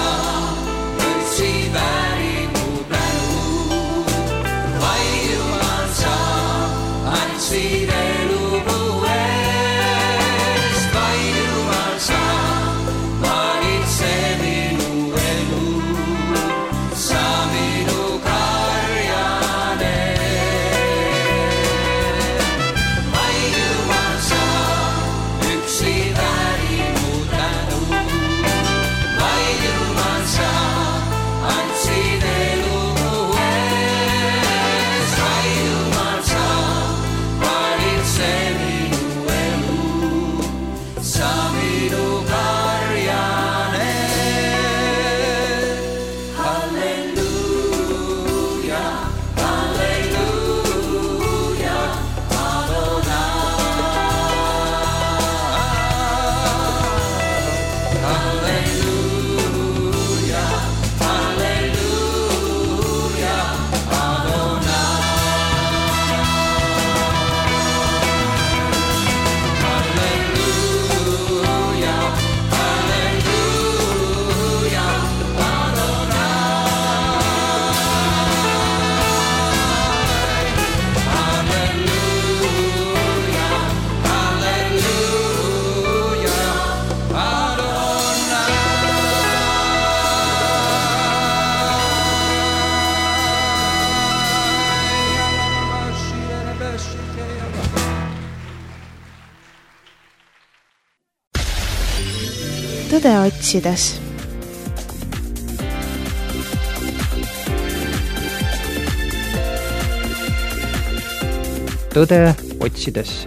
üksi väärid mu tänu. Vaid Jumal sa andsid elu mu eest. Vaid Jumal sa valitse minu elu. Sa minu karjane. Vaid Jumal sa üksi väärid mu tänu. Vaid Jumal sa andsid elu mu eest. Vaid Jumal sa valitse minu elu. Sa minu karjane. Halleluuja, halleluuja, Adonai. Halleluuja, halleluuja, Adonai. Halleluuja, halleluuja, Adonai. Halleluuja, halleluuja, tõde otsides. tõde otsides.